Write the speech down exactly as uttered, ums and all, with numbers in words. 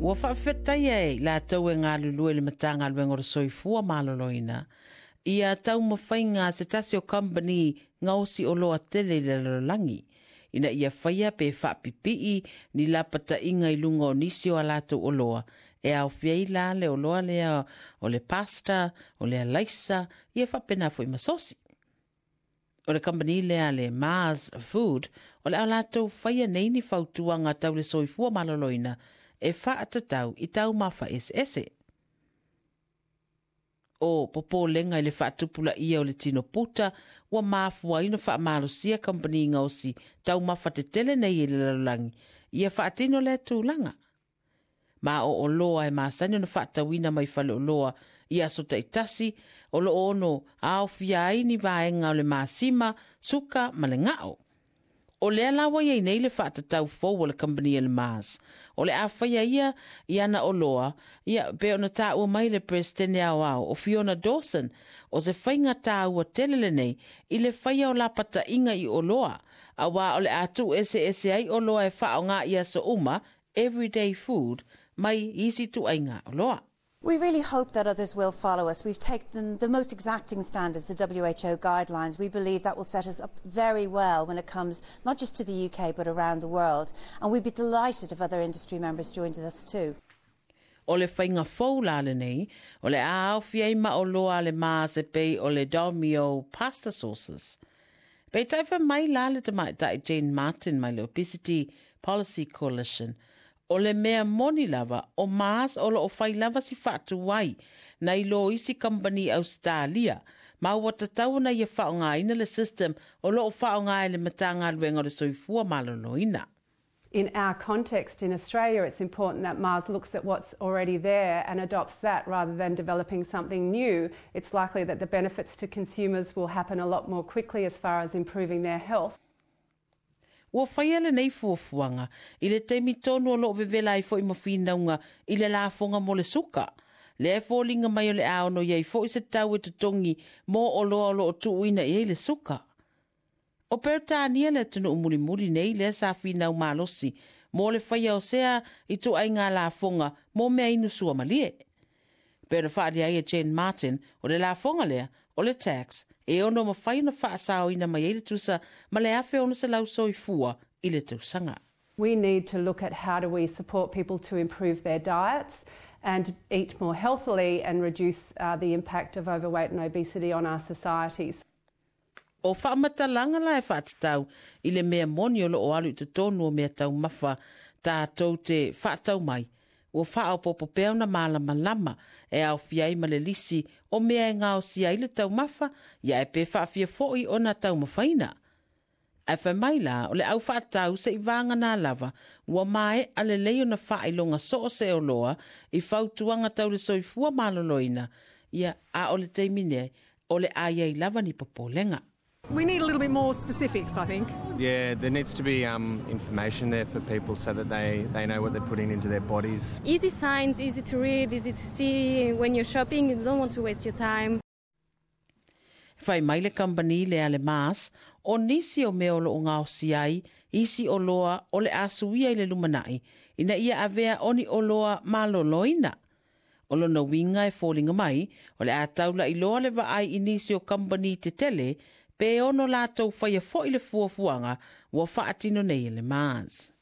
Ua faafetaia e i latou e galulue i le Matagaluega o le Soifua Maloloina ia taumafaiga a se tasi o kamupani gaosi oloa tele i le lalolagi ina ia faia pe faapipii ni lapataiga i luga o nisi o a latou oloa e aofia ai la le oloa lea o le pasta, o le alaisa, ia faapena foi ma sosi. O le kamupani lea le Mars Food, o le a latou faia nei ni fautuaga tau le soifua maloloina e faatatau i taumafa eseese. O popolega i le faatupulaia o le tino puta ua mafua ai ona faamalosia kamupani gaosi taumafa tetele nei i le lalolagi ia faatino lea tulaga. Ma o oloa e masani ona faatauina mai faleoloa i aso taitasi o loo ono aofia ai ni vaega o le masima, suka ma le gao. O lea la ua iai nei le faatatau fou o le kamupani a le Mars. O le a faia ia i ana oloa, ia pe ona taua mai le Peresetene Aoao o Fiona Dawson, o se faiga taua tele lenei i le faia o lapataiga i oloa, auā o le a tuueseese ai oloa e faaaoga i aso uma, everyday food, mai isi ituaiga oloa. We really hope that others will follow us. We've taken the most exacting standards, the W H O guidelines. We believe that will set us up very well when it comes not just to the U K but around the world. And we'd be delighted if other industry members joined us too. O le faiga fou la lenei, o le a aofia ai ma oloa a le Mars e pei o le Dolmio pasta sauces. Peitai fai mai la le tamaitai Jane Martin mai le Obesity Policy Coalition, o le mea moni lava o Mars o loo fai lava si faatuai nai lo isi kamupani Australia, ma ua tatau ona ia faaaogaina le system o loo faaaoga e le Matagaluega o le Soifua Maloloina. In our context in Australia, it's important that Mars looks at what's already there and adopts that rather than developing something new. It's likely that the benefits to consumers will happen a lot more quickly as far as improving their health. Ua faia lenei fuafuaga i le taimi tonu o loo vevela ai foi ma finauga i le lafoga mo le suka. Lea e foliga mai o le a ono iai foi se tau e totogi mo oloa o loo tuuina i ai le suka. O Peretania le atunuu mulimuli nei lea sa finau malosi mo le faia o sea ituaiga lafoga mo mea inu suamalie. Pe ona faalia ai e Jane Martin o le lafoga lea o le tax e ono mafai ona faasaoina mai ai le tusa ma le afe ono selau soifua i le tausaga. We need to look at how do we support people to improve their diets and eat more healthily and reduce uh, the impact of overweight and obesity on our societies. O faamatalaga la e faatatau i le mea moni o loo alu i totonu o mea taumafa tatou te faatau mai. Ua faaopoopo pea ona malamalama e aofia ai ma le lisi o mea e gaosia ai le taumafa, ia e pe faafia foi ona taumafaina. Ae fai mai la o le au faatau se i vagana lava, ua maea lelei ona faailoga soo se oloa i fautuaga tau le soifua maloloina, ia a o le taimi nei o le a iai lava ni popolega. We need a little bit more specifics, I think. Yeah, there needs to be um, information there for people so that they, they know what they're putting into their bodies. Easy signs, easy to read, easy to see. When you're shopping, you don't want to waste your time. Fai mai le kamupani lea le Mars, o nisi o mea o loo gaosi ai, isi oloa o le a suia i le lumanai, ina ia avea oni oloa maloloina. O lona uiga e foliga mai, o le a taula iloa le vaai i nisi o kamupani tetele, pe ono latou faia foi le fuafuaga ua faatino nei e le Mars.